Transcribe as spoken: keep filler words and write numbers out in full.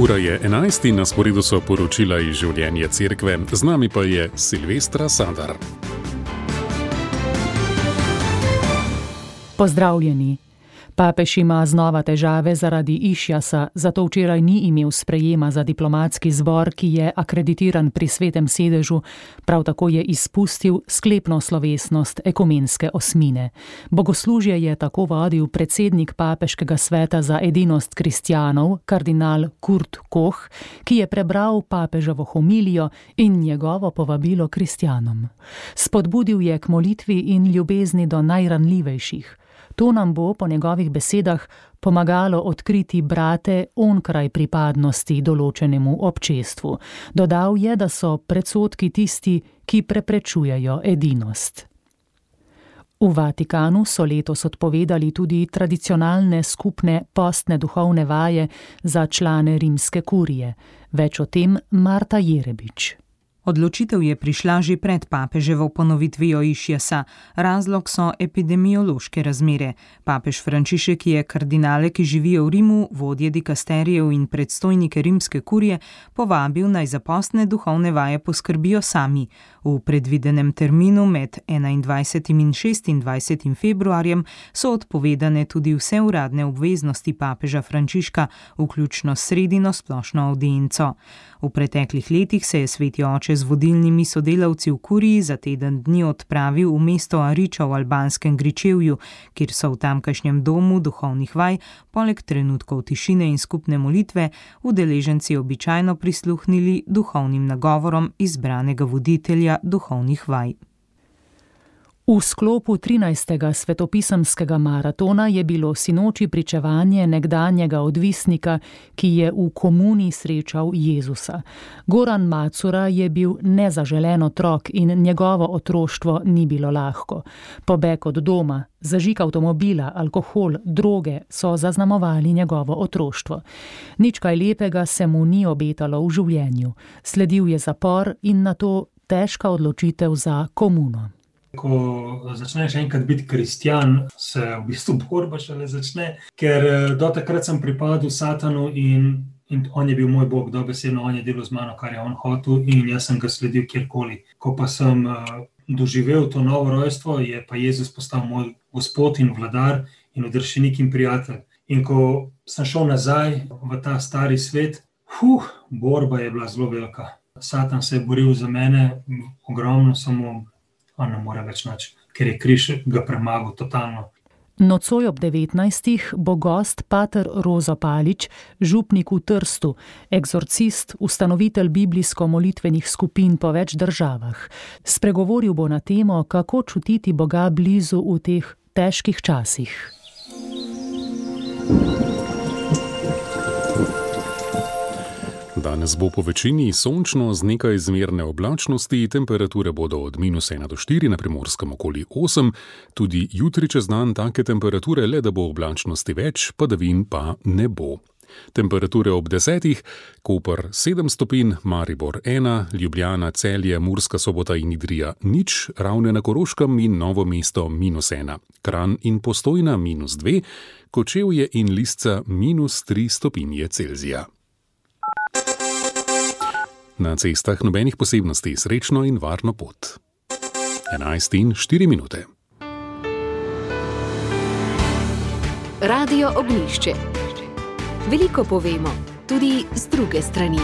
Ura je enajst in na sporedu so poročila iz življenja cerkve. Z nami pa je Silvestra Sadar. Pozdravljeni. Papež ima znova težave zaradi išjasa, zato včeraj ni imel sprejema za diplomatski zbor, ki je akreditiran pri Svetem sedežu, prav tako je izpustil sklepno slovesnost ekumenske osmine. Bogoslužje je tako vodil predsednik Papeškega sveta za edinost kristjanov, kardinal Kurt Koch, ki je prebral papeževo homilijo in njegovo povabilo kristjanom. Spodbudil je k molitvi in ljubezni do najranljivejših. To nam bo, po njegovih besedah, pomagalo odkriti brate onkraj pripadnosti določenemu občestvu. Dodal je, da so predsodki tisti, ki preprečujejo edinost. V Vatikanu so letos odpovedali tudi tradicionalne skupne postne duhovne vaje za člane rimske kurije. Več o tem Marta Jerebič. Odločitev je prišla že pred papeževo ponovitvijo išjasa. Razlog so epidemiološke razmere. Papež Frančišek je kardinale, ki živijo v Rimu, vodje dikasterijev in predstojnike rimske kurije, povabil naj za postne duhovne vaje poskrbijo sami. V predvidenem terminu med enaindvajsetim in šestindvajsetim februarjem so odpovedane tudi vse uradne obveznosti papeža Frančiška, vključno s sredino splošno avdienco. V preteklih letih se je sveti oče z vodilnimi sodelavci v kuriji za teden dni odpravil v mesto Ariča v albanskem Gričevju, kjer so v tamkajšnjem domu duhovnih vaj, poleg trenutkov tišine in skupne molitve, udeleženci običajno prisluhnili duhovnim nagovorom izbranega voditelja duhovnih vaj. V sklopu trinajstega svetopisemskega maratona je bilo sinoči pričevanje nekdanjega odvisnika, ki je v komuni srečal Jezusa. Goran Macura je bil nezaželen otrok in njegovo otroštvo ni bilo lahko. Pobeg od doma, zažig avtomobila, alkohol, droge so zaznamovali njegovo otroštvo. Nič kaj lepega se mu ni obetalo v življenju. Sledil je zapor in nato težka odločitev za komuno. Ko začneš enkrat biti kristjan, se v bistvu borba šele začne, ker do takrat sem pripadal Satanu in, in on je bil moj Bog, dobesedno on je delal z mano, kar je on hotel in jaz sem ga sledil kjerkoli. Ko pa sem uh, doživel to novo rojstvo, je pa Jezus postal moj Gospod in vladar in odrešenik in prijatelj. In ko sem šel nazaj v ta stari svet, huh, borba je bila zelo velika. Satan se je boril za mene, ogromno, samo on ne more več nič, ker je križ ga premagal totalno. Nocoj ob devetnajstih bo gost pater Rozo Palič, župnik v Trstu, eksorcist, ustanovitelj biblijsko-molitvenih skupin po več državah. Spregovoril bo na temo, kako čutiti Boga blizu v teh težkih časih. Danes bo po večini sončno z nekaj zmerne oblačnosti, temperature bodo od minus ena do štiri, na Primorskem okoli osem, tudi jutri čez dan take temperature, le da bo oblačnosti več, padavin pa ne bo. Temperature ob desetih, Koper sedem stopinj, Maribor ena, Ljubljana, Celje, Murska Sobota in Idrija nič, Ravne na Koroškem in Novo mesto minus ena, Kranj in Postojna minus dve, Kočevje in Lisca minus tri stopinje Celzija. Na cestah nobenih posebnosti, srečno in varno pot. enajst in štiri minute. Radio Ognjišče. Veliko povemo, tudi z druge strani.